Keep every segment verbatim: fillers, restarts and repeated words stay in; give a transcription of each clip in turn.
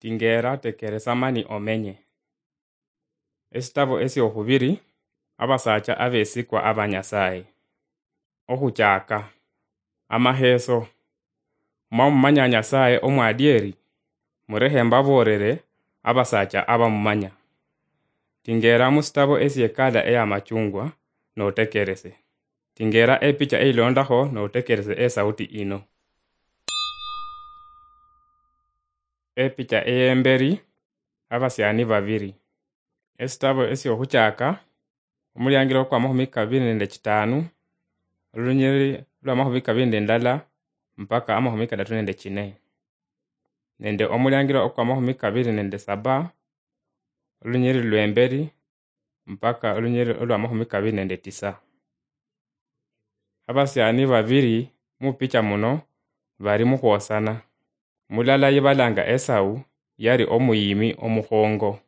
Tingeera, tekeresa mani omenye. Esitabo esy'okhubiri, Abasacha Abeesikwa aba Nyasaye. Okhuchaaka. Amaheeso. Mwamumanya Nyasaye omwadieri? Murekhe mbaboolere abasacha abamumanya. Tingeera musitabo esy'ekala ey'amachungwa, notekerese. Tingeera epicha eyilondakho, notekerese esauti ino. Epicha ey'emberi, abasyaani babiri. Esitabo esy'okhuchaaka, omuliangiro kw'amakhumi kabiri nende kitaanu, olunyiriri lw'amakhumi kabiri nende ndala mpaka amakhumi kadatu nende kine, nende omuliangiro okw'amakhumi kabiri nende saba, olunyiriri lw'emberi mpaka olunyiriri olw'amakhumi kabiri nende tisa. Abasyaani babiri mupicha muno bali mukhwosana. Mulala ye balanga Esau yali omuyiimi omukhongo.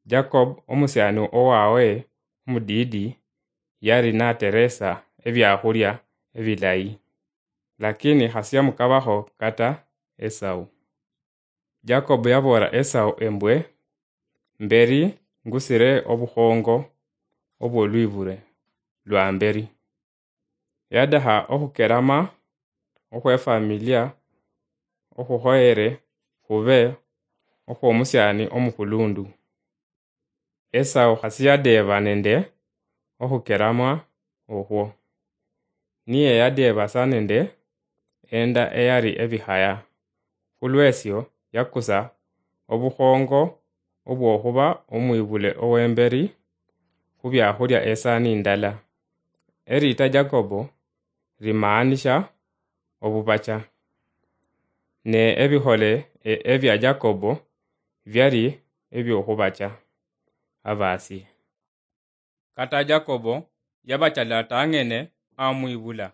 Jacob, omusyaani owawe omudiidi, yali nateresa ebyakhulia ebilayi, lakini khasiyamukabakho kata Esau. Jacob yaboola Esau embwe, "Mberi ngusire obukhongo obw'olwibule lwa mberi." Yadakha okhukerama okhwefamilia okhukhoyere khube okhw'omusyaani omukhulundu. Esau khasiyadeeba nende okhukeramwa okhwo. Niye yadeeba sa nende enda eyali ebikhaya. Khulwesyo yakusa obukhongo obwokhuba omwibule owemberi khubyakhulia esaani indala. Eriita Jacobo limaanisha obubacha. Ne ebikhole e-, ebya Jacobo byali ebyokhubacha abasie. Kata Jacobo yabachala tang'ene amwibula.